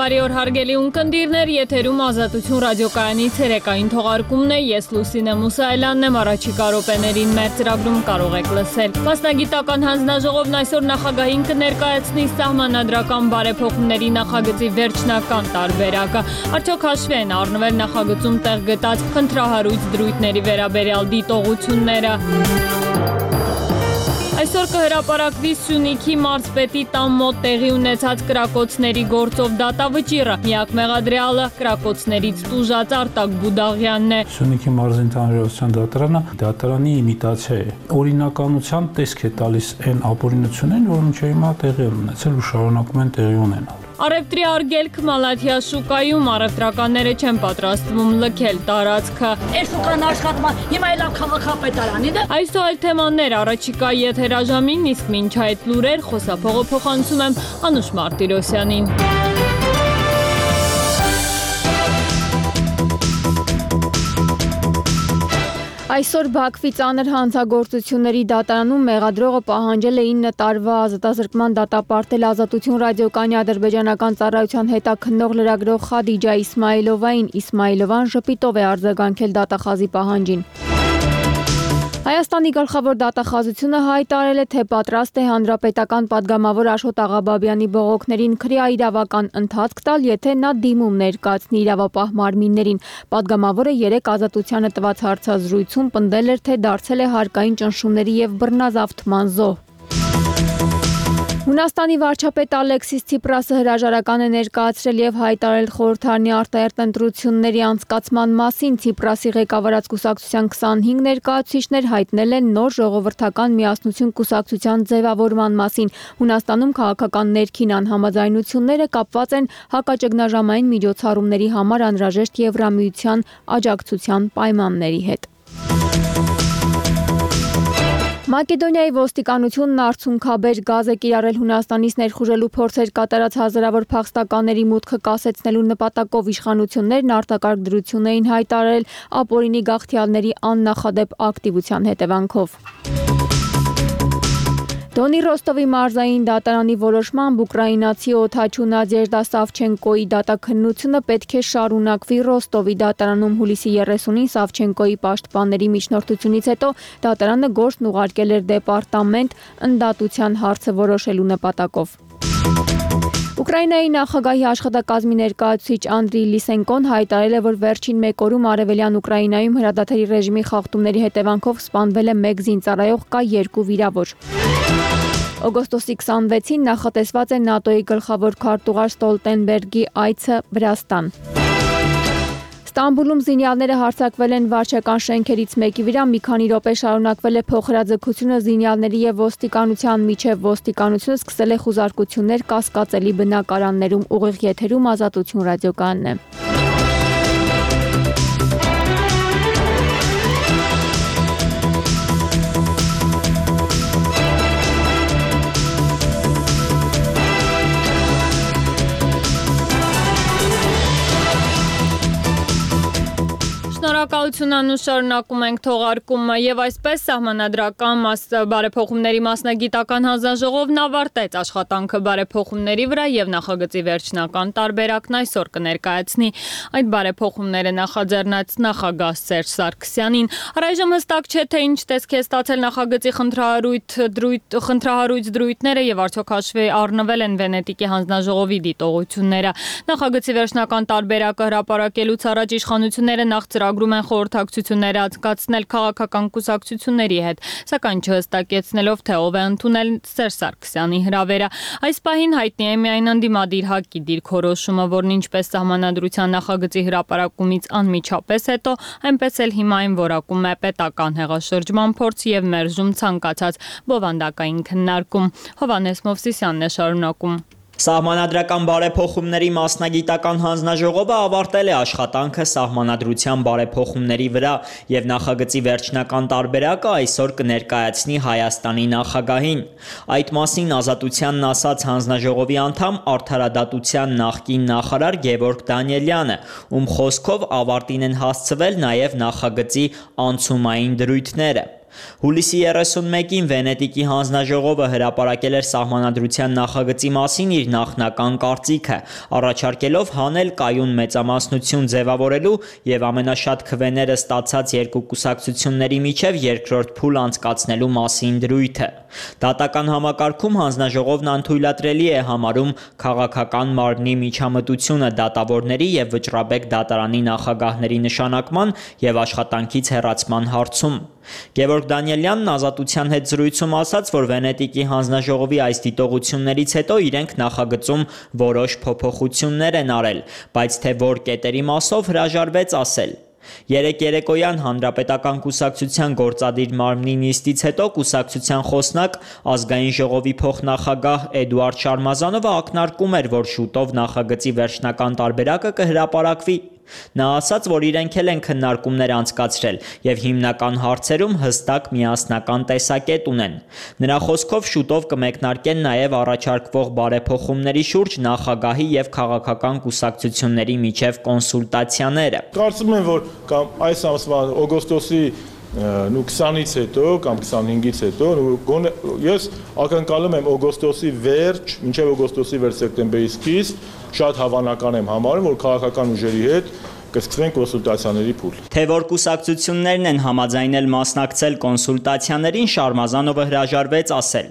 Բարի օր հարգելի ունկնդիրներ, եթերում Ազատություն ռադիոկայանի ցերեկային թողարկումն է, ես Լուսինե Մուսայելյանն եմ, առաջիկա րոպեներին մեր ծրագրում կարող եք լսել։ Մասնագիտական հանձնաժողովն այսօր նախագահին կներկայացնի սահմանադրական բարեփոխումների նախագծի վերջնական տարբերակը։ Արդյոք հաշվի են առնվել նախագծում տեղ գտած խնդրահարույց դրույթների վերաբերյալ դիտողությունները։ Այսօր կհրապարակվի Սյունիքի մարզպետի տան մոտ տեղի ունեցած կրակոցների գործով դատավճիռը։ Միակ մեղադրյալը կրակոցներից տուժած Արտակ Բուդաղյանն է։ Սյունիքի մարզի ընդհանրության դատարանի իմիտացիա է։ Օրինականության տեսք է տալիս այն ապօրինություններին, որ մինչև հիմա տեղի են ունեցել ու շարունակում են տեղի ունենալ։ Առևտրի արգելք Մալաթիա շուկայում առևտրականները չեն պատրաստվում լքել տարածքը։ Այս շուկան աշխատում է, հիմա էլ քաղաքապետարանին է։ Այս այլ թեմաներ առաջիկա եթերաժամին, իսկ մինչ այդ լուրեր խոսափողը փոխանցում եմ Անուշ Մարտիրոսյանին։ Այսօր Բաքվի ծանր հանցագործությունների դատարանում մեղադրողը պահանջել է 9 տարվա ազատազրկման դատապարտել Ազատություն ռադիոկայանի ադրբեջանական ծառայության հետաքննող լրագրող Խադիջա Իսմայիլովային։ Իսմայիլովան ժպիտով է արձագանքել դատախազի պահանջին։ Հայաստանի գլխավոր դատախազությունը հայտարարել է, թե պատրաստ է հանրապետական պատգամավոր Աշոտ Աղաբաբյանի բողոքներին քրեա իրավական ընթացք տալ, եթե նա դիմում ներկայացնի իրավապահ մարմիններին։ Պատգամավորը 3 ազատությանը տված հարցազրույցում պնդել էր, թե դարձել է հարկային ճնշումների եւ բռնազավթման զոհ։ Հունաստանի վարչապետ Ալեքսիս Ցիպրասը հրաժարական է ներկայացրել եւ հայտարարել խորհրդարանի արտահերթ ընտրությունների անցկացման մասին։ Ցիպրասի ղեկավարած կուսակցության 25 ներկայացուցիչներ հայտնել են նոր ժողովրդական միասնություն կուսակցության ձևավորման մասին։ Հունաստանում քաղաքական ներքին անհամաձայնությունները կապված են հակաճգնաժամային միջոցառումների համար անհրաժեշտ Եվրամիության աջակցության պայմանների հետ։ Մակեդոնիայի ոստիկանությունն արցունքաբեր գազ է կիրառել Հունաստանից ներխուժելու փորձեր կատարած հազարավոր փախստականների մուտքը կասեցնելու նպատակով իշխանություններն արտակարգ դրություն էին հայտարարել ապօրինի գաղթյալների աննախադեպ ակտիվության հետևանքով։ Դոնի Ռոստովի մարզային դատարանի որոշմամբ ուկրաինացի օդաչու Նադեժդա Սավչենկոյի դատաքննությունը պետք է շարունակվի Ռոստովի դատարանում հուլիսի 30-ին Սավչենկոյի պաշտպանների միջնորդությունից հետո դատարանը գործն ուղարկել էր դեպարտամենտ ընդդատության հարցը որոշելու նպատակով։ Ուկրաինայի նախագահի աշխատակազմի ներկայացուցիչ Անդրի Լիսենկոն հայտարարել է, որ վերջին 1 օրում արևելյան Ուկրաինայում հրադադարի ռեժիմի խախտումների հետևանքով սպանվել է 1 զինծառայող, կա 2 վիրավոր։ Օգոստոսի 26-ին նախատեսված է ՆԱՏՕ-ի գլխավոր քարտուղար Ստոլտենբերգի այցը Վրաստան։ Ստամբուլում զինյալները հարձակվել են վարչական շենքերից մեկի վրա, մի քանի րոպե շարունակվել է փոխհրաձգությունը զինյալների եւ ոստիկանության միջև։ Ոստիկանությունը սկսել է խուզարկություններ կասկածելի բնակարաններում։ Ուղիղ եթերում Ազատություն ռադիոկայանն է։ Շնորհակալություն Անուշ, շարունակում ենք թողարկումը եւ այսպես սահմանադրական բարեփոխումների մասնագիտական հանձնաժողովն ավարտեց աշխատանքը բարեփոխումների վրա եւ նախագծի վերջնական տարբերակն այսօր կներկայացնի։ Այդ բարեփոխումները նախաձեռնած նախագահ Սերժ Սարգսյանին։ Առայժմ հստակ չէ, թե ինչ տեսք է ստացել նախագծի խնդրահարույց դրույթները եւ արդյոք հաշվի առնվել են Վենետիկի հանձնաժողովի դիտողությունները։ Նախագծի վերջնական տարբերակը հրապարակելուց առաջ իշխանությունները նախ ծրագրում են խորհրդակցություններ անցկացնել քաղաքական կուսակցությունների հետ, սակայն չհստակեցնելով, թե ով է ընդունել Սերժ Սարգսյանի հրավերը։ Այս պահին հայտնի է միայն ընդդիմադիր ՀԱԿ-ի դիրքորոշումը, որն ինչպես սահմանադրության նախագծի հրապարակումից անմիջապես հետո, այնպես էլ հիմա այն որակում է պետական հեղաշրջման փորձ եւ մերժում ցանկացած բովանդակային քննարկում։ Հովհաննես Մովսիսյանն է շարունակում։ Սահմանադրական բարեփոխումների մասնագիտական հանձնաժողովը ավարտել է աշխատանքը սահմանադրության բարեփոխումների վրա եւ նախագծի վերջնական տարբերակը այսօր կներկայացնի Հայաստանի նախագահին։ Այդ մասին Ազատությանն ասաց հանձնաժողովի անդամ Արդարադատության նախկին նախարար Գևորգ Դանիելյանը, ում խոսքով ավարտին են հասցվել նաեւ նախագծի անցումային դրույթները։ Հուլիսի 31-ին Վենետիկի հանձնաժողովը հրապարակել էր սահմանադրության նախագծի մասին իր նախնական կարծիքը, առաջարկելով հանել կայուն մեծամասնություն ձևավորելու եւ ամենաշատ քվեները ստացած երկու կուսակցությունների միջև երկրորդ փուլ անցկացնելու մասին դրույթը։ Դատական համակարգում հանձնաժողովն անթույլատրելի է համարում քաղաքական մարմնի միջամտությունը դատավորների եւ վճռաբեկ դատարանի նախագահների նշանակման եւ աշխատանքից հեռացման հարցում։ Գևորգ Դանիելյանն Ազատության հետ զրույցում ասաց, որ Վենետիկի հանձնաժողովի այս դիտողություններից հետո իրենք նախագծում որոշ փոփոխություններ են արել, բայց թե որ կետերի մասով հրաժարվեց ասել։ Երեկ երեկոյան Հանրապետական կուսակցության գործադիր մարմնի նիստից հետո կուսակցության խոսնակ ազգային ժողովի փոխնախագահ Էդուարդ Շարմազանովը ակնարկում էր, որ շուտով նախագծի վերջնական տարբերակը կհրապարակվի։ Նա ասաց, որ իրենք էլ են քննարկումներ անցկացրել եւ հիմնական հարցերում հստակ միասնական տեսակետ ունեն։ Նրա խոսքով շուտով կմեկնարկեն նաեւ առաջարկվող բարեփոխումների շուրջ նախագահի եւ քաղաքական կուսակցությունների միջև կոնսուլտացիաները։ Կարծում եմ, որ կամ այս ամսվա օգոստոսի 20-ից հետո կամ 25-ից հետո ես ակնկալում եմ օգոստոսի վերջ, մինչև օգոստոսի վերջ սեպտեմբերի սկիզբ շատ հավանական եմ համարում, որ քաղաքական ուժերի հետ կսկսվեն կոնսուլտացիաների փուլ։ Թե որ կուսակցություններն են համաձայնել մասնակցել կոնսուլտացիաներին, Շարմազանովը հրաժարվեց ասել։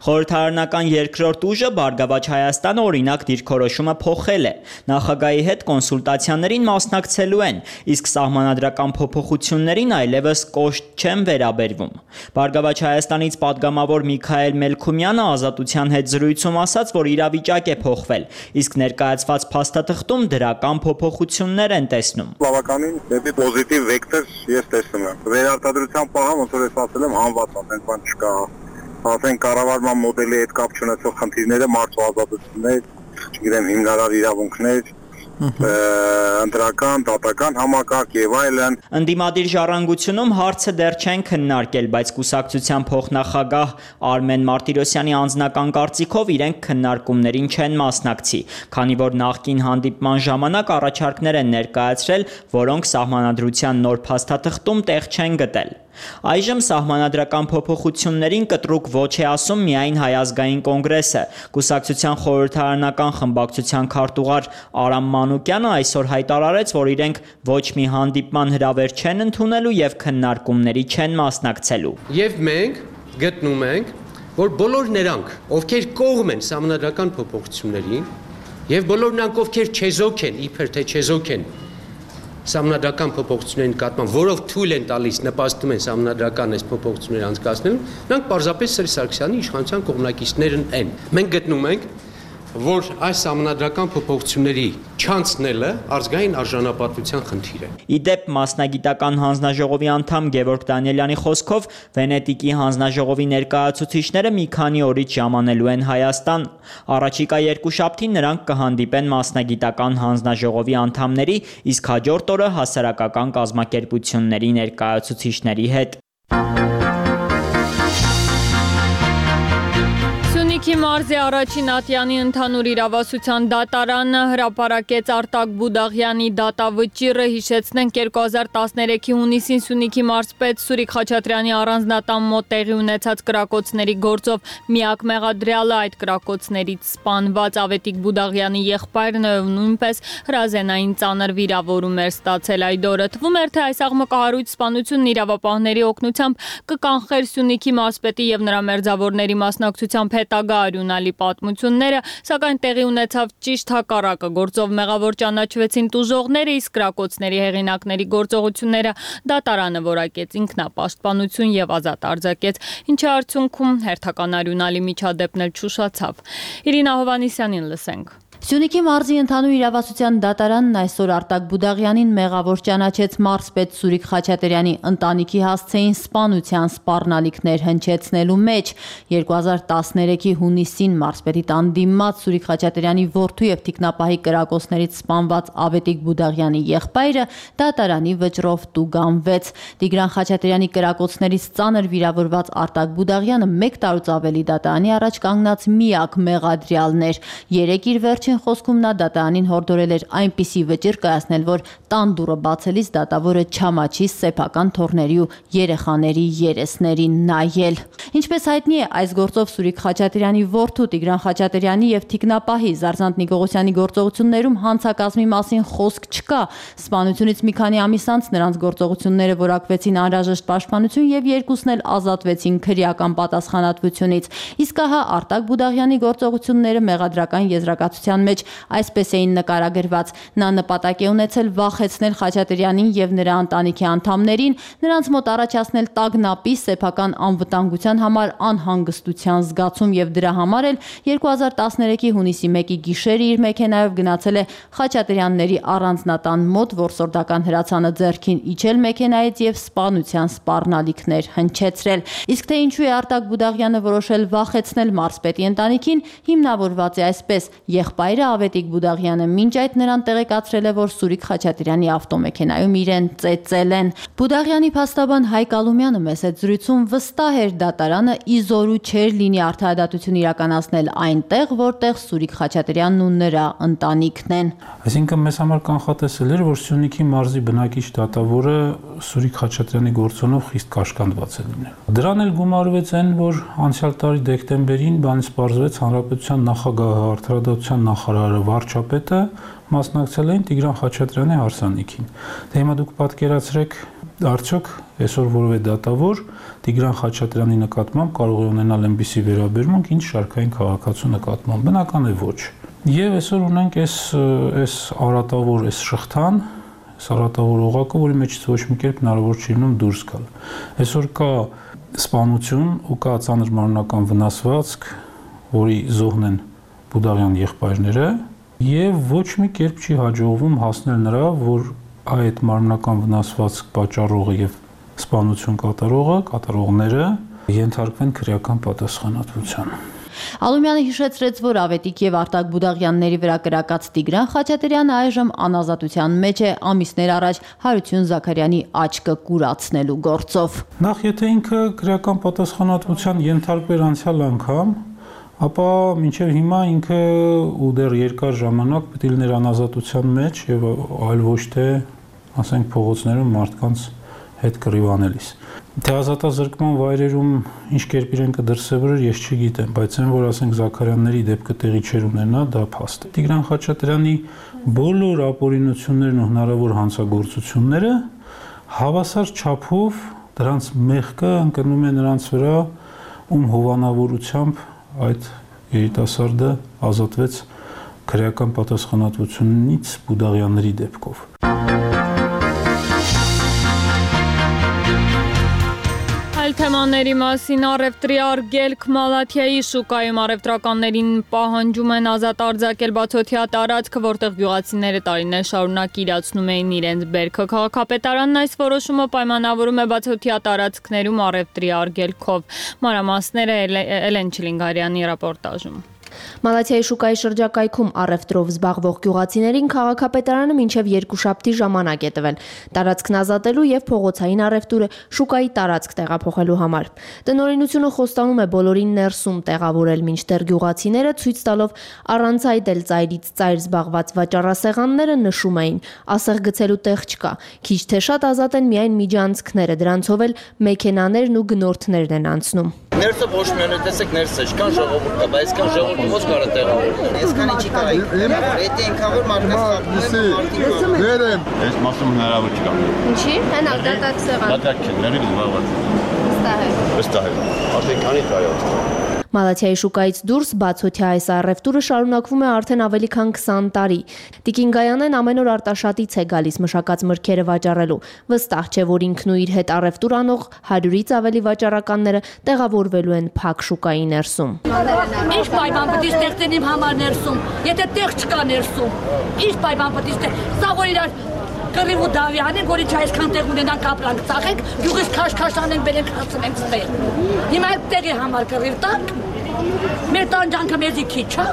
Խորհրդարանական երկրորդ ուժը Բարգավաճ Հայաստանը օրինակ դիրքորոշումը փոխել է։ Նախագահի հետ կոնսուլտացիաներին մասնակցելու են, իսկ սահմանադրական փոփոխություններին այլևս կոշտ չեն վերաբերվում։ Բարգավաճ Հայաստանից падգամավոր Միքայել Մելքումյանը Ազատության հետ զրույցում ասաց, որ իրավիճակ է փոխվել, իսկ ներկայացված փաստաթղթում դրական փոփոխություններ են տեսնում։ Բավականին դեպի պոզիտիվ վեկտոր ես տեսնում եմ։ Վերարտադրության պահը ոնց որ ես ասել եմ հանված, ասենք բան չկա։ Ասենք կառավարման մոդելի հետ կապ չունեցող խնդիրները, մարդու ազատություններ, չգիտեմ, հիմնարար իրավունքներ, ընտրական, դատական համակարգ եւ այլն։ Ընդդիմադիր ժառանգությունում հարցը դեռ չեն քննարկել, բայց կուսակցության փոխնախագահ Արմեն Մարտիրոսյանի անձնական կարծիքով իրենք քննարկումներին չեն մասնակցի, քանի որ նախկին հանդիպման ժամանակ առաջարկներ են ներկայացրել, որոնք սահմանադրության նոր փաստաթղթում տեղ չեն գտել։ Այժմ սահմանադրական փոփոխություններին կտրուկ ոչ է ասում միայն Հայ ազգային կոնգրեսը։ Կուսակցության խորհրդարանական խմբակցության քարտուղար Արամ Մանուկյանը այսօր հայտարարեց, որ իրենք ոչ մի հանդիպման հրավեր չեն ընդունելու եւ քննարկումների չեն մասնակցելու։ Եվ մենք գտնում ենք, որ բոլոր նրանք, ովքեր կողմ են սահմանադրական փոփոխություններին, եւ բոլոր նրանք, ովքեր չեզոք են, իբր թե չեզոք են սահմանադրական փոփոխությունների նկատմամբ, որով թույլ են տալիս, նպաստում են սահմանադրական այս փոփոխությունները անցկացնելու, նրանք պարզապես Սերժ Սարգսյանի իշխանության կողմնակիցներն են։ Մենք գտնում ենք, որ այս սահմանադրական փոփոխությունների չանցնելը ազգային արժանապատվության խնդիր է։ Իդեպ մասնագիտական հանձնաժողովի անդամ Գևորգ Դանիելյանի խոսքով Վենետիկի հանձնաժողովի ներկայացուցիչները մի քանի օրից ժամանելու են Հայաստան։ Առաջիկա երկուշաբթին նրանք կհանդիպեն մասնագիտական հանձնաժողովի անդամների, իսկ հաջորդ օրը հասարակական կազմակերպությունների ներկայացուցիչների հետ։ Սյունիքի մարզի առաջին ատյանի ընդհանուր իրավասության դատարանը հրապարակեց Արտակ Բուդաղյանի դատավճիռը, հիշեցնենք 2013-ի հունիսին Սյունիքի մարզպետ Սուրիկ Խաչատրյանի առանձնատան մոտ տեղի ունեցած կրակոցների գործով միակ մեղադրյալը այդ կրակոցներից սպանված Ավետիք Բուդաղյանի եղբայրն ով նույնպես հրազենային ծանր վիրավորում էր ստացել այդ օրը։ Թվում էր, թե այս աղմկահարույց սպանությունն իրավապահների օգնությամբ կկանխեր Սյունիքի մարզպետի եւ նրա մերձավորների մասնակցությամբ հետագա արյունալի պատմությունները, սակայն տեղի ունեցավ ճիշտ հակառակը։ Գործով մեղավոր ճանաչվեցին տուժողները, իսկ կրակոցների հեղինակների գործողությունները դատարանը որակեց ինքնապաշտպանություն եւ ազատ արձակեց, ինչի արդյունքում հերթական արյունալի միջադեպն էլ չուշացավ։ Իրինա Հովանիսյանին լսենք։ Սյունիքի մարզի ընդհանուր իրավասության դատարանն այսօր Արտակ Բուդաղյանին մեղավոր ճանաչեց մարզպետ Սուրիկ Խաչատրյանի ընտանիքի հասցեին սպանության սպառնալիքներ հնչեցնելու մեջ։ 2013-ի հունիսին մարզպետի տան դիմաց Սուրիկ Խաչատրյանի որդու եւ թիկնապահի կրակոցներից սպանված Ավետիք Բուդաղյանի եղբայրը դատարանի վճռով տուգանվեց։ Տիգրան Խաչատրյանի կրակոցներից ծանր վիրավորված Արտակ Բուդաղյանը 1 տարուց ավելի դատարանի առաջ կանգնած միակ մեղադրյալն էր։ Երեկ իր վերջին խոսքում նա դատարանին հորդորել էր այնպիսի վճիռ կայացնել, որ տան դուռը բացելիս դատավորը չամաչի սեփական թոռների ու երեխաների երեսներին նայել։ Ինչպես հայտնի է, այս գործով Սուրիկ Խաչատրյանի որդու Տիգրան Խաչատրյանի եւ թիկնապահի Զարզանտ Նիկողոսյանի գործողություններում հանցակազմի մասին խոսք չկա։ Սպանությունից մի քանի ամիս անց նրանց գործողությունները որակվեցին անհրաժեշտ պաշտպանություն եւ երկուսն էլ ազատվեցին քրեական պատասխանատվությունից։ Իսկ ահա Արտակ Բուդաղյանի գործողությունները մեղադրական եզրակացության մեջ այսպես էին նկարագրված. նա նպատակ է ունեցել վախեցնել Խաչատրյանին եւ նրա ընտանիքի անդամներին, նրանց մոտ առաջացնել տագնապի, սեփական անվտանգության համար անհանգստության զգացում եւ դրա համար էլ 2013-ի հունիսի 1-ի գիշերը իր մեքենայով գնացել է Խաչատրյանների առանձնատան մոտ, որսորդական հրացանը ձեռքին իջել մեքենայից եւ սպանության սպառնալիքներ հնչեցրել։ Իսկ թե ինչու է Արտակ Բուդաղյանը որոշել վախեցնել մարզպետի ընտանիքին, հիմնավորված է այսպես. եղբայրը Ավետիք Բուդաղյանը մինչ այդ նրան տեղեկացրել է, որ Սուրիկ Խաչատրյանի ավտոմեքենայում իրեն ծեծել են։ Բուդաղյանի փաստաբան Հայկ Ալումյանը մեծ այդ զրույցում վստահ էր դատարանը իզորու չէր լինի արդարադատություն իրականացնել այնտեղ, որտեղ Սուրիկ Խաչատրյանն ու նրա ընտանիքն են։ Այսինքն մեզ համար կանխատեսել էր, որ Սյունիքի մարզի բնակիչ դատավորը Սուրիկ Խաչատրյանի գործոնով խիստ կաշկանդված է լինել։ Դրան էլ գումարվեց այն, որ անցյալ տարի դեկտեմբերին բանից պարզվեց Հանրապետության նախագահը, արդարադատության նախարարը, վարչապետը մասնակցել էին Տիգրան Խաչատրյանի հարսանիքին։ Դե հիմա դուք պատկերացրեք, արդյոք այսօր որևէ դատավոր Տիգրան Խաչատրյանի նկատմամբ կարող է ունենալ այնպիսի վերաբերմունք, ինչ շարքային քաղաքացու նկատմամբ։ Բնական է ոչ։ Եվ այսօր ունենք այս արատավոր, այս շղթան, այս արատավոր օղակը, որի մեջից ոչ մի կերպ հնարավոր չի լինում դուրս գալ։ Այսօր կա սպանություն ու կա ծանր մարմնական վնասվածք, որի զոհն են Բուդաղյան եղբայրները, եւ ոչ մի կերպ չի հաջողվում հասնել նրա, որ այդ մարմնական վնասվածք պատճառողը եւ սպանություն կատարողները ենթարկվեն քրեական պատասխանատվության։ Ալումյանը հիշեցրեց, որ Ավետիք եւ Արտակ Բուդաղյանների վրա կրակած Տիգրան Խաչատրյանը այժմ անազատության մեջ է ամիսներ առաջ Հարություն Զաքարյանի աչքը կուրացնելու գործով։ Նախ եթե ինքը քրեական պատասխանատվության ենթարկվեր անցյալ անգամ, ապա մինչև հիմա ինքը ու դեռ երկար ժամանակ պետք է լիներ անազատության մեջ եւ այլ ոչ թե, ասենք, փողոցներում մարդկանց հետ կռիվանելիս։ Թե ազատազրկման վայրերում ինչ կերպ իրեն կդրսևորեր, ես չգիտեմ, բայց այն, որ ասենք Զաքարյանների դեպքը տեղի չէր ունենա, դա փաստ է։ Տիգրան Խաչատրյանի բոլոր ապօրինություններն ու հնարավոր հանցագործությունները հավասար չափով դրանց մեղքը ընկնում է նրանց վրա, ում հովանավորությամբ այդ երիտասարդը ազատվեց քրեական պատասխանատվությունից Բուդաղյանների դեպքով։ Այլ թեմաների մասին առևտրի արգելք Մալաթիայի շուկայում առևտրականներին պահանջում են ազատ արձակել բացօթյա տարածքը, որտեղ գյուղացիները տարիներ շարունակ իրացնում էին իրենց բերքը։ Քաղաքապետարանն այս որոշումը պայմանավորում է բացօթյա տարածքներում առևտրի արգելքով։ Մանրամասները Էլեն Չիլինգարյանի ռեպորտաժում։ Մալաթիայի շուկայի շրջակայքում առևտրով զբաղվող գյուղացիներին քաղաքապետարանը մինչև երկուշաբթի ժամանակ է տվել տարածքն ազատելու եւ փողոցային առևտուրը շուկայի տարածք տեղափոխելու համար։ Տնօրինությունը խոստանում է բոլորին ներսում տեղավորել, մինչդեռ գյուղացիները ցույց տալով առանց այդել ծայրից ծայր զբաղված վաճառասեղանները նշում էին՝ ասեղ գցելու տեղ չկա, քիչ թե շատ ազատ են միայն միջանցքները, դրանցով էլ մեքենաներն ու գնորդներն են անցնում։ Ներսը ոչ միայն տեսեք ներսը, ինչքան ժողովուրդ կա, բայց այսքան ժողովուրդ ո՞նց կարա տեղավորել։ Այսքան ինչի կարա։ Եթե այնքան որ մարդկանց վերեմ։ Այս մասում հնարավոր չկա։ Ինչի՞։ Հենալ դատակ սեղան։ Դատակ չէ, ների զբաղված։ Վստահ եմ։ Արդեն քանի տարի է։ Մալաթիայի շուկայից դուրս բացօթյա այս առևտուրը շարունակվում է արդեն ավելի քան 20 տարի։ Տիկին Գայանեն ամեն օր Արտաշատից է գալիս մշակած մրգերը վաճառելու։ Վստահ չէ, որ ինքն ու իր հետ առևտուր անող 100-ից ավելի վաճառականները տեղավորվելու են փակ շուկայի ներսում։ Ինչ պայման պետք է ստեղծեն իմ համար ներսում, եթե տեղ չկա ներսում։ Ինչ պայման պետք է սա որ իրար կռիվ ու դավի անենք, որ ինչ այսքան տեղ ունենանք ապրանք ծախենք, գյուղից քաշ-քաշ անենք, բերենք հասցնենք ստեղ։ Հիմա այդ տեղի համար կռիվ տանք, Մեր տանջանքը մեզի քիչ է։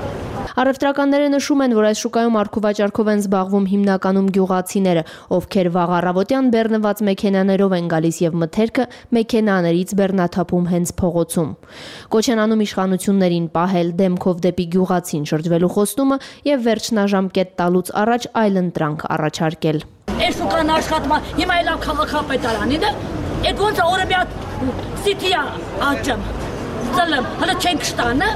Առևտրականները նշում են, որ այս շուկայում առքուվաճառքով են զբաղվում հիմնականում գյուղացիները, ովքեր վաղ առավոտյան բեռնված մեքենաներով են գալիս եւ մթերքը մեքենաներից բեռնաթափում հենց փողոցում։ Կոչ են անում իշխանություններին պահել դեմքով դեպի գյուղացին շրջվելու խոստումը եւ վերջնաժամկետ տալուց առաջ այլընտրանք առաջարկել։ Այս շուկան աշխատում է, հիմա էլ քաղաքապետարանին է, այդ ոնց է օրը մի հատ սիթիա աճեմ։ Ծլեմ, հələ չենք շտանը։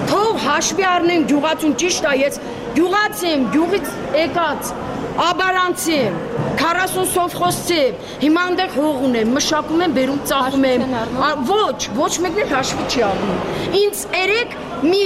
Թող հաշվի առնեն գյուղացուն, ճիշտ է, ես գյուղացի եմ, գյուղից եկած, աբարանցի եմ, 40 սովխոզցի եմ, հիմա այնտեղ հող ունեմ, մշակում եմ, բերում, ծախում եմ, ոչ մեկն էլ հաշվի չի առնում։ Ինձ երեք մի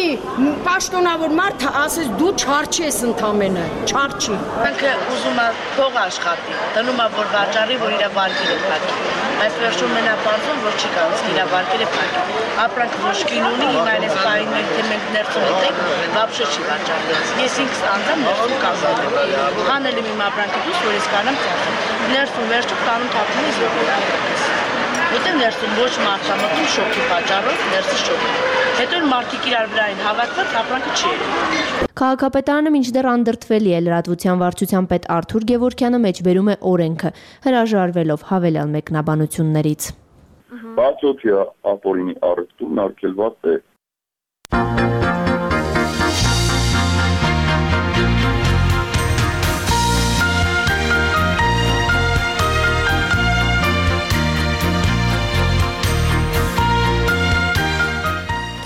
պաշտոնավոր մարդ ասես դու չարչի ես ընդամենը, չարչի։ Ինքը ուզում է փող աշխատի, դնում է որ վաճառի, որ իր վարկերը փակի։ Բայց վերջում մենապարզում, որ չի կարող իր վարկերը փակի։ Ապրանք ոչ կին ունի, հիմա այս պահին թե մենք ներսում ենք, բաբշե չի վաճառել։ Ես ինքս անդամ ներսում կազմել եմ։ Հանել եմ իմ ապրանքը դուրս, որ ես կանեմ ծախել։ Ներսում վերջում տանում թափում ես եկել։ Որտեղ ներսում ոչ մարդա մտնում շոկի պատճառով, ներսի շոկի։ Հետո մարդիկ իրար վրա են հավաքված, ապրանքը չի եղել։ Քաղաքապետարանը մինչդեռ անդրդվելի է լրատվության վարչության պետ Արթուր Գևորգյանը մեջբերում է օրենքը, հրաժարվելով հավելյալ մեկնաբանություններից։ Բացօթյա ապօրինի առևտուրն արգելված է։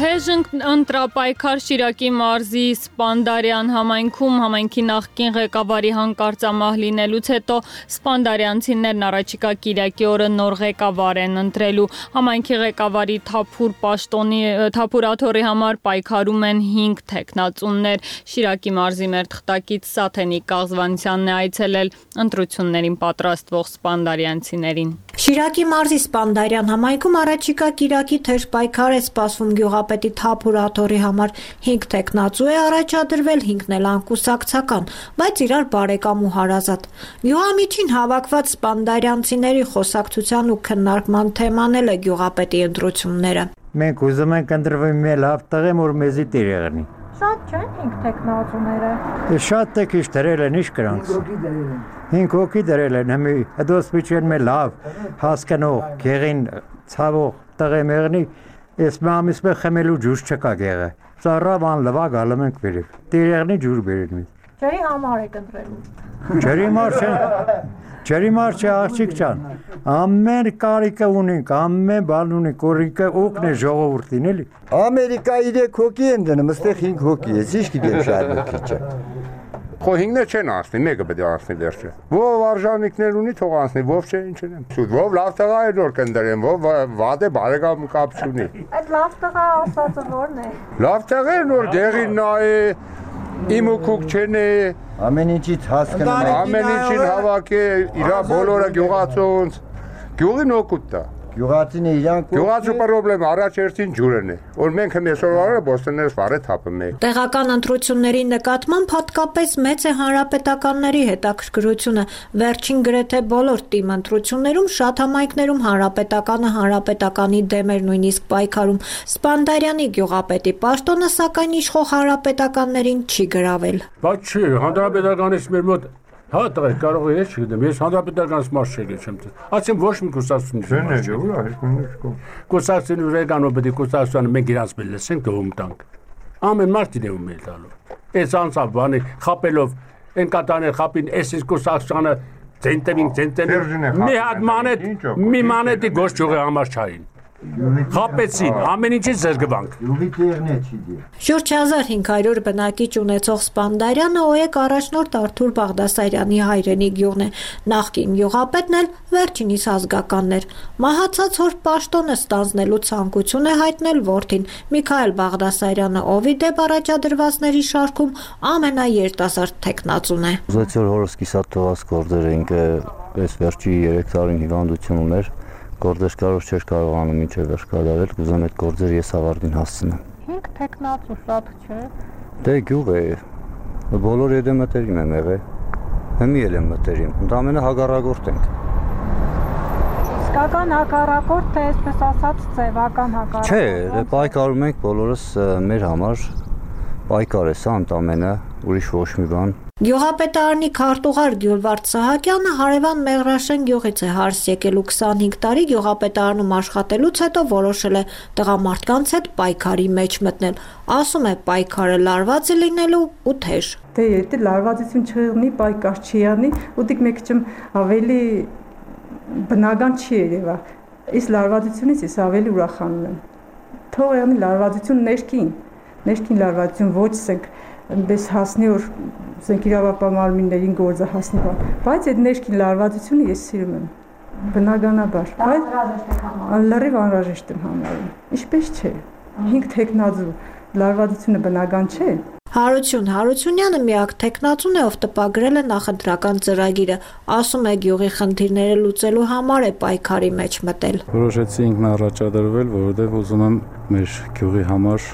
Թեժ ընտրապայքար Շիրակի մարզի Սպանդարյան համայնքում համայնքի նախկին ղեկավարի հանկարծամահ լինելուց հետո սպանդարյանցիներն առաջիկա Կիրակի օրը նոր ղեկավար են ընտրելու։ Համայնքի ղեկավարի թափուր աթոռի համար պայքարում են 5 թեկնածուներ։ Շիրակի մարզի մեր թղթակից Սաթենիկ Կաղզվանցյանն է այցելել ընտրություններին պատրաստվող սպանդարյանցիներին։ Շիրակի մարզի Սպանդարյան համայնքում առաջիկա Կիրակի թեժ պայքար է սպասվում գյուղապետի թափուր աթոռի համար 5 թեկնածու է առաջադրվել, 5-ն էլ անկուսակցական, բայց իրար բարեկամ ու հարազատ։ Գյուղամիջին հավաքված սպանդարյանցիների խոսակցության ու քննարկման թեման էլ է գյուղապետի ընտրությունները։ Մենք ուզում ենք ընտրվել մի լավ տղեմ, որ մեզի տեր եղնի։ Շատ չեն 5 թեկնածուները։ Շատ տեքիչ դրել են, ինչ կրանք։ 5 հոգի դրել են, հիմի դոս միջեն մի լավ հասկանող, գեղին ցավող տղեմ եղնի, ես մամիս մե խմելու ջուր չկա գեղը։ Ծառավան լվա գալում ենք վերև։ Տեր եղնի ջուր բերեն մեզ։ Ջրի համար եք ընտրելու։ Ջրի մարդ չէ, աղջիկ ջան։ Ամեն կարիքը ունենք, ամեն բան ունենք, օրինքը օգն է ժողովրդին էլի։ Ամերիկայի 3 հոգի են դնում, այստեղ 5 հոգի է, ինչ գիտեմ շատ հոգի չէ։ Խո 5-ը չեն անցնի, մեկը պետք է անցնի դեռ չէ։ Ով արժանինքներ ունի, թող անցնի, ով չէ, ինչ են։ Սուտ, ով լավ տղա է նոր կնդրեն, ով վատ է բարեկամ կապ չունի։ Այդ լավ տղա ասածը ո՞րն է։ Լավ տղա է նոր դեղին նա է, իմ ու քուք չեն է։ Ամեն ինչից հասկանում է։ Ամեն ինչին հավաք է, իրա բոլորը գյուղացոնց, գյուղին օգուտ տա։ Գյուղացին իրանք Գյուղացու պրոբլեմ առաջերտին ջուրն է, որ մենք հմեսորվարը բոստներս վարը թապում ենք։ Տեղական ընտրությունների նկատմամբ հատկապես մեծ է հանրապետականների հետաքրքրությունը։ Վերջին գրեթե բոլոր թիմ ընտրություններում շատ համայնքներում հանրապետականի դեմ էր նույնիսկ պայքարում։ Սպանդարյանի գյուղապետի պաշտոնը սակայն իշխող հանրապետականներին չի գրավել։ Բայց չի, հանրապետականից մեր մոտ հա տղեր կարող է ես չգիտեմ, ես հանրապետականից մարդ չեմ տես։ Ասեմ ոչ մի կուսակցություն չի։ Կուսակցությունը վեգանով պետք է կուսակցությանը մենք իրանց մեր լսենք դողում տանք։ Ամեն մարդ իրեն մեր տալու։ Այս անցավ բանի խապելով են կտաներ խապին այս կուսակցությանը ցենտերին մի հատ մանետի գոշ ճյուղի համար չային։ Խապեցին, ամեն ինչից զրկվանք։ Շուրջ 1500 բնակիչ ունեցող Սպանդարյանը ՕԵԿ առաջնորդ Արթուր Բաղդասարյանի հայրենի գյուղն է։ Նախկին գյուղապետն էլ վերջինիս ազգականն էր։ Մահացած հոր պաշտոնը ստանձնելու ցանկություն է հայտնել որդին Միքայել Բաղդասարյանը, ով ի դեպ առաջադրվածների շարքում ամենաերիտասարդ թեկնածուն է։ Ուզեցի որ հորս կիսաթողած գործեր ինքը այս վերջի 3 տարին հիվանդություն ուներ։ Գործեր կարող չէր կարողանում մինչև վերջ կատարել, կուզեմ այդ գործերը ես ավարտին հասցնեմ։ 5 թեկնածու շատ չէ։ Դե գյուղ է, բոլոր եդը մտերիմ եմ եղել, հիմի էլ եմ մտերիմ, ընդամենը հագարագորտ ենք։ Իսկական հակառակորդ թե այսպես ասած ձևական հակառակորդ։ Չէ, պայքարում ենք բոլորս մեր համար։ Պայքար է սա ընդամենը, ուրիշ ոչ մի բան։ Գյուղապետարանի քարտուղար Գյուլվարդ Սահակյանը հարևան Մեղրաշեն գյուղից է հարս եկել ու 25 տարի գյուղապետարանում աշխատելուց հետո որոշել է տղամարդկանց հետ պայքարի մեջ մտնել։ Ասում է պայքարը լարված է լինելու ու թեժ։ Դե եթե լարվածություն չեղնի, պայքար չի անի, ուտիկ մեկ չեմ ավելի բնական չի երևա։ Այս լարվածությունից ես ավելի ուրախանում եմ։ Թող անի լարվածություն ներքին լարվածություն ոչ սենք այնպես հասնի որ սենք իրավապահ մարմիններին գործը հասնի բան, բայց այդ ներքին լարվածությունը ես սիրում եմ բնականաբար, բայց լրիվ անհրաժեշտ եմ համարում, ինչպես չէ, 5 թեկնածու լարվածությունը բնական չէ։ Հարություն Հարությունյանը միակ թեկնածուն է, ով տպագրել է նախընտրական ծրագիրը, ասում է գյուղի խնդիրները լուծելու համար է պայքարի մեջ մտել։ Որոշեցի ինքնառաջադրվել, որովհետև ուզում եմ մեր գյուղի համար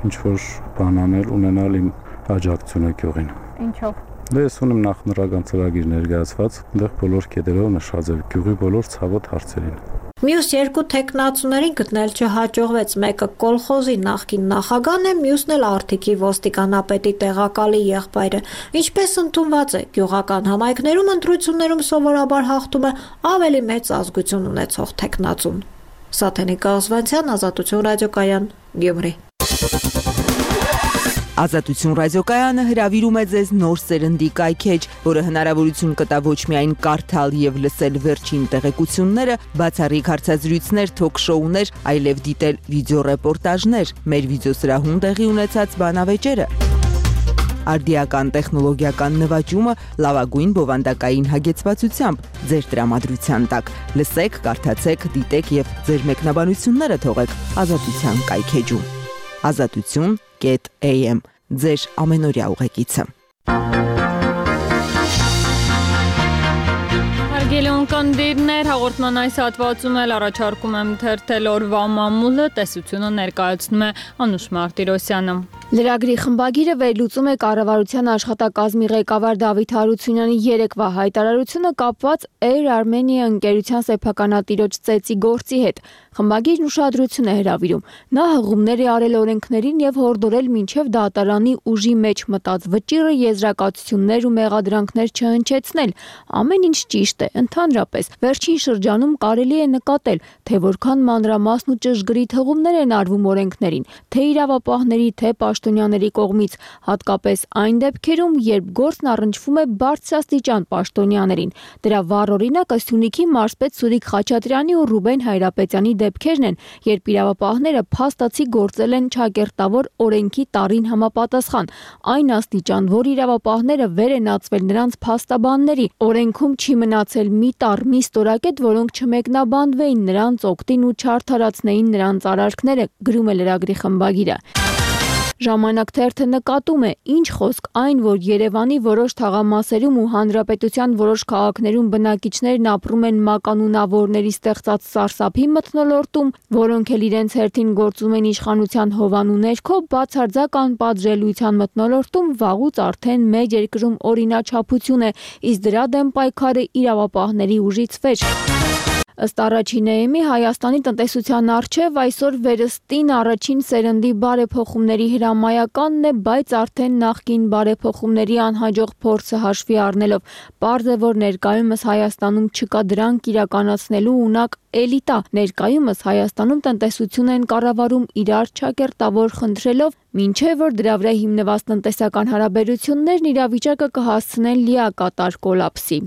ինչ-որ բան անել, ունենալ իմ աջակցությունը գյուղին։ Ինչով։ Դե ես ունեմ նախընտրական ծրագիր ներկայացված, այնտեղ բոլոր կետերով նշած է գյուղի բոլոր ցավոտ հարցերին։ Մյուս երկու թեկնածուներին գտնել չհաջողվեց, մեկը կոլխոզի նախկին նախագահն է, մյուսն էլ Արթիկի ոստիկանապետի տեղակալի եղբայրը։ Ինչպես ընդունված է, գյուղական համայնքներում ընտրություններում սովորաբար հաղթում է ավելի մեծ ազգություն ունեցող թեկնածուն։ Սաթենիկ Ազվանցյան, Ազատություն ռադիոկայան, Գյումրի։ Ազատություն ռադիոկայանը հրավիրում է ձեզ նոր սերնդի կայքեջ, որը հնարավորություն կտա ոչ միայն կարդալ եւ լսել վերջին տեղեկությունները, բացառիկ հարցազրույցներ, թոք-շոուներ, այլև դիտել վիդեոռեպորտաժներ, մեր վիդեոսրահում տեղի ունեցած բանավեճերը։ Արդիական տեխնոլոգիական նվաճումը լավագույն բովանդակային հագեցվածությամբ ձեր տրամադրության տակ։ Լսեք, կարդացեք, դիտեք եւ ձեր մեկնաբանությունները թողեք Ազատության կայքեջում։ Azatutun.am ձեր ամենօրյա ուղեկիցը։ Հարգելի ունկնդիրներ, հաղորդման այս հատվածում էլ առաջարկում եմ թերթել օրվա մամուլը, տեսությունը ներկայացնում է Անուշ Մարտիրոսյանը։ Լրագրի խմբագիրը վերլուծում է կառավարության աշխատակազմի ղեկավար Դավիթ Հարությունյանի երեկվա հայտարարությունը կապված Air Armenia ընկերության սեփականատիրոջ ծեծի գործի հետ։ Խմբագիրն ուշադրություն է հրավիրում։ Նա հղումներ է արել օրենքներին եւ հորդորել մինչեւ դատարանի ուժի մեջ մտած վճիռը եզրակացություններ ու մեղադրանքներ չհնչեցնել։ Ամեն ինչ ճիշտ է, ընդհանրապես։ Վերջին շրջանում կարելի է նկատել, թե որքան մանրամասն ու ճշգրիտ հղումներ են արվում օրենքներին, թե իրավապահների, թե պաշտոնյաների կողմից, հատկապես այն դեպքերում, երբ գործն առնչվում է բարձրաստիճան պաշտոնյաներին։ Դրա վառ օրինակը Սյունիքի մարզպետ Սուրիկ Խաչատրյանի ու Ռուբեն Հայրապետյանի դեպքերն են, երբ իրավապահները փաստացի գործել են չակերտավոր օրենքի տարին համապատասխան, այն աստիճան, որ իրավապահները վեր են ածվել նրանց փաստաբանների։ Օրենքում չի մնացել մի տառ, մի ստորակետ, որոնք չմեկնաբանվեին նրանց օգտին ու չարդարացնեին նրանց արարքները, գրում է լրագրի խմբագիրը։ Ժամանակ թերթը նկատում է, ինչ խոսք այն, որ Երևանի որոշ թաղամասերում ու հանրապետության որոշ քաղաքներում բնակիչներն ապրում են մականունավորների ստեղծած սարսափի մթնոլորտում, որոնք էլ իրենց հերթին գործում են իշխանության հովանու ներքո, բացարձակ անպատժելիության մթնոլորտում վաղուց արդեն մեր երկրում օրինաչափություն է, իսկ դրա դեմ պայքարը իրավապահների ուժից վեր։ Ըստ առաջին ԵՄ-ի Հայաստանի տնտեսության առջև այսօր վերստին առաջին սերնդի բարեփոխումների հրամայականն է, բայց արդեն նախկին բարեփոխումների անհաջող փորձը հաշվի առնելով, պարզ է, որ ներկայումս Հայաստանում չկա դրանք իրականացնելու ունակ էլիտա։ Ներկայումս Հայաստանում տնտեսություն են կառավարում իրար չակերտավոր խնդրելով, մինչև որ դրա վրա հիմնված տնտեսական հարաբերություններն իրավիճակը կհասցնեն լիակատար կոլապսի։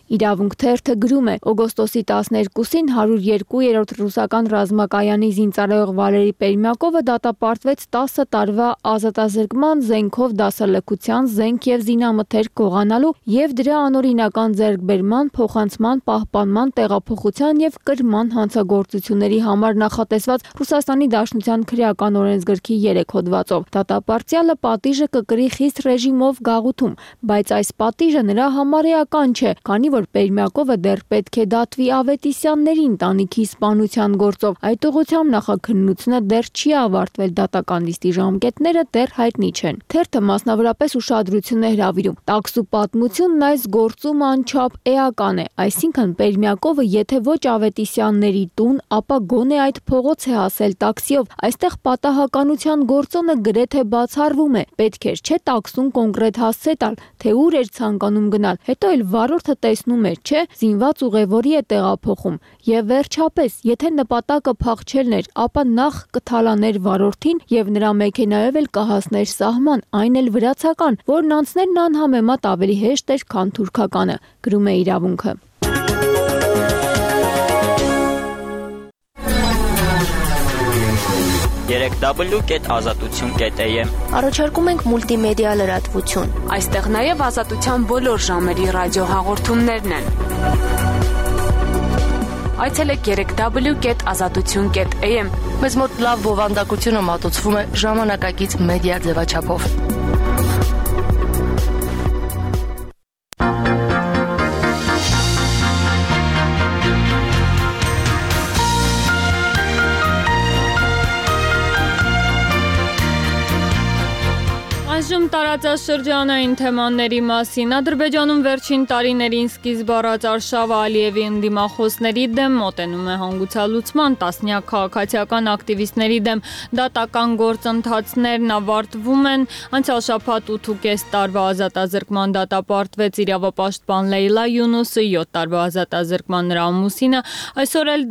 Իրավունք թերթը գրում է. օգոստոսի 12-ին 102-րդ ռուսական ռազմակայանի զինծառայող Վալերի Պերմյակովը դատապարտվեց 10 տարվա ազատազրկման զենքով դասալքության զենք եւ զինամթերք գողանալու եւ դրա անօրինական ձեռքբերման, փոխանցման, պահպանման, տեղափոխության եւ կրման հանցագործությունների համար նախատեսված Ռուսաստանի Դաշնության քրեական օրենսգրքի 3 հոդվածով։ Դատապարտյալը պատիժը կկրի խիստ ռեժիմով գաղութում, բայց այս պատիժը նրա համար էական չէ, քանի որ Պերմյակովը դեռ պետք է դատվի Ավետիսյանների ընտանիքի սպանության գործով։ Այդ ուղղությամբ նախաքննությունը դեռ չի ավարտվել, դատական նիստի ժամկետները դեռ հայտնի չեն։ Թերթը մասնավորապես ուշադրություն է հրավիրում. տաքսու պատմությունն այս գործում անչափ էական է, այսինքն Պերմյակովը եթե ոչ Ավետիսյանների տուն, ապա գոնե այդ փողոց է հասել տաքսիով, այստեղ պատահականության գործոնը գրեթե բացառվում է, պետք էր չէ տաքսուն կոնկրետ հասցե տալ, թե ուր էր ցանկանում գնալ, հետո էլ վարորդը տեսնում էր, չէ, զինված ուղևորի է տեղափոխում, եւ վերջապես, եթե նպատակը փախչելն էր, ապա նախ կթալաներ վարորդին եւ նրա մեքենայով էլ կհասներ սահման, այն էլ վրացական, որն անցնելն անհամեմատ ավելի հեշտ էր, քան թուրքականը, գրում է իրավունքը։ www.azatutsun.am Առաջարկում ենք մուլտիմեդիա լրատվություն։ Այստեղ նաև ազատության բոլոր ժամերի ռադիոհաղորդումներն են։ Այցելեք www.azatutsun.am։ Մեզ մոտ լավ բովանդակությունը մատուցվում է ժամանակակից մեդիա ձևաչափով։ Այժմ տարածաշրջանային թեմաների մասին Ադրբեջանում վերջին տարիներին սկիզբ առած Արշավը Ալիևի ընդդիմախոսների դեմ մոտենում է հանգուցալուծման, տասնյակ քաղաքացիական ակտիվիստների դեմ դատական գործընթացներն ավարտվում են, անցյալ շաբաթ 8.5 տարվա ազատազրկման դատապարտվեց իրավապաշտպան Լեյլա Յունուսը, 7 տարվա ազատազրկման նրա ամուսինը, այսօր էլ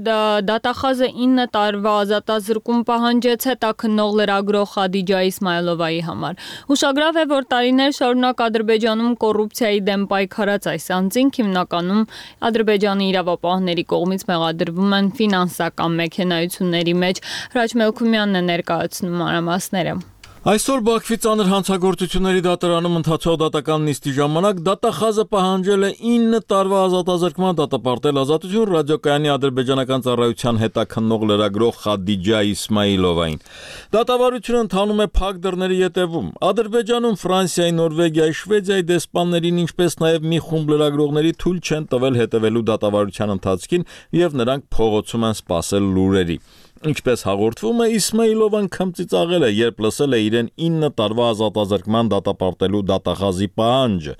դատախազը 9 տարվա ազատազրկում պահանջեց հետաքննող լրագրող Խադիջա Իսմայլովայի համար։ Ուշագրավ է, որ տարիներ շարունակ Ադրբեջանում կոռուպցիայի դեմ պայքարած այս անձինք հիմնականում Ադրբեջանի իրավապահների կողմից մեղադրվում են ֆինանսական մեքենայությունների մեջ։ Հրաչ Մելքումյանն է ներկայացնում մանրամասները։ Այսօր Բաքվի ծանր հանցագործությունների դատարանում ընթացող դատական նիստի ժամանակ դատախազը պահանջել է 9 տարվա ազատազրկման դատապարտել Ազատություն ռադիոկայանի ադրբեջանական ծառայության հետաքննող լրագրող Խադիջա Իսմայլովային։ Դատավարությունը ընթանում է փակ դռների ետևում։ Ադրբեջանում Ֆրանսիայի, Նորվեգիայի, Շվեդիայի դեսպաններին, ինչպես նաև մի խումբ լրագրողների թույլ չեն տվել հետևելու դատավարության ընթացքին եւ նրանք փողոցում են սպասել լուրերի։ Ինչպես հաղորդվում է, Իսմայլովան քմծիծաղել է, երբ լսել է իրեն 9 տարվա ազատազրկման դատապարտելու դատախազի պահանջը։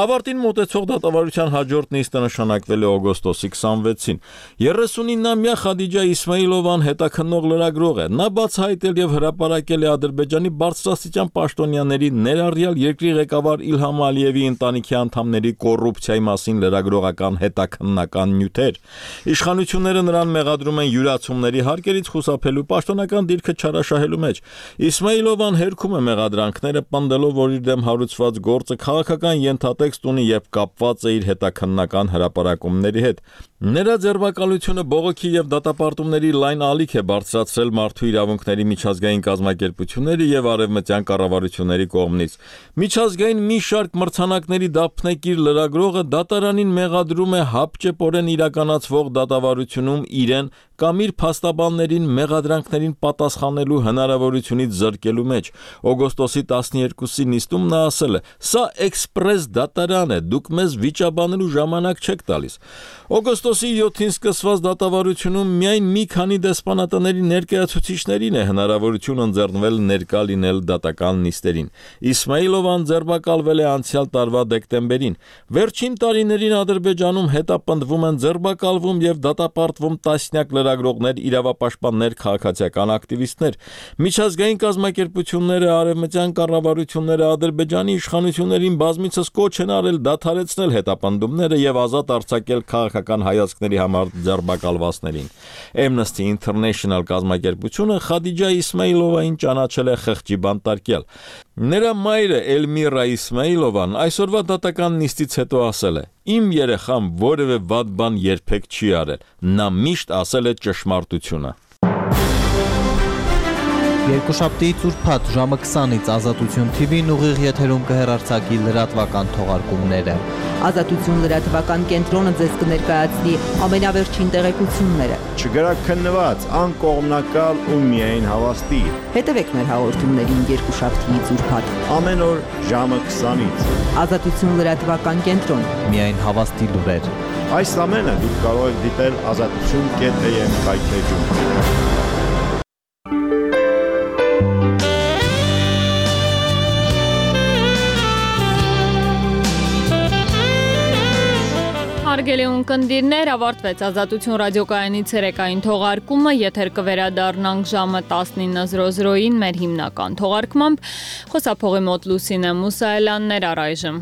Ավարտին մոտեցող դատավարության հաջորդ նիստը նշանակվել է օգոստոսի 26-ին։ 39-ամյա Խադիջա Իսմայլովան հետաքննող լրագրող է։ Նա բացահայտել եւ հրապարակել է Ադրբեջանի բարձրաստիճան պաշտոնյաների, ներառյալ երկրի ղեկավար Իլհամ Ալիևի ընտանիքի անդամների կոռուպցիայի մասին լրագրողական հետաքննական նյութեր։ Իշխանությունները նրան մեղադրում են յուրացումների հարկեր խուսափելու պաշտոնական դիրքը չարաշահելու մեջ։ Իսմայլովան հերքում է մեղադրանքները, պնդելով, որ իր դեմ հարուցված գործը քաղաքական ենթատեքստ ունի եւ կապված է իր հետաքննական հրապարակումների հետ։ Նրա ձերբակալությունը բողոքի եւ դատապարտումների լայն ալիք է բարձրացրել մարդու իրավունքների միջազգային կազմակերպությունների եւ արևմտյան կառավարությունների կողմից։ Միջազգային մի շարք մրցանակների դափնեկիր լրագրողը դատարանին մեղադրում է հապճեպորեն իրականացվող դատավարությունում իրեն կամ իր փաստաբաններին մեղադրանքներին պատասխանելու հնարավորությունից զրկելու մեջ։ Օգոստոսի 12-ի նիստում նա ասել է. «Սա էքսպրես դատարան է, դուք մեզ վիճաբանելու ժամանակ չեք տալիս»։ Օգոստոսի 7-ին սկսված դատավարությունում միայն մի քանի դեսպանատների ներկայացուցիչներին է հնարավորություն ընձեռնվել ներկա լինել դատական նիստերին։ Իսմայլովան ձերբակալվել է անցյալ տարվա դեկտեմբերին։ Վերջին տարիներին Ադրբեջանում հետապնդվում են, ձերբակալվում եւ դատապարտվում տասնյակ լրագրողներ, իրավապաշտպաններ, քաղաքացիական ակտիվիստներ։ Միջազգային կազմակերպությունները, արևմտյան կառավարությունները Ադրբեջանի իշխանություններին բազմիցս կոչ են արել դադարեցնել հետապնդումները եւ ազատ արձակել քաղաքական հայացքների համար ձերբակալվածներին։ Amnesty International կազմակերպությունը Խադիջա Իսմայլովային ճանաչել է խղճի բանտարկյալ։ Նրա մայրը Էլմիրա Իսմայլովան այսօրվա դատական նիստից հետո ասել է. «Իմ երեխան որևէ վատ բան երբեք չի արել։ Նա միշտ ասել է ճշմարտությունը»։ Երկուշաբթիից ուրբաթ ժամը 20-ից Ազատություն TV-ն ուղիղ եթերում կհեռարձակի լրատվական թողարկումները։ Ազատություն լրատվական կենտրոնը ձեզ կներկայացնի ամենավերջին տեղեկությունները։ Չգրակ քննված, անկողմնակալ ու միայն հավաստի։ Հետևեք մեր հաղորդումներին երկուշաբթիից ուրբաթ ամեն օր ժամը 20-ից։ Ազատություն լրատվական կենտրոն։ Միայն հավաստի լուրեր։ Այս ամենը դուք կարող եք դիտել azatutun.am կայքեջում։ Հարգելի ունկնդիրներ, ավարտվեց Ազատություն ռադիոկայանի ցերեկային թողարկումը, եթեր կվերադառնանք ժամը 19:00-ին մեր հիմնական թողարկմամբ։ Խոսափողի մոտ Լուսինե Մուսայելյաններ առայժմ։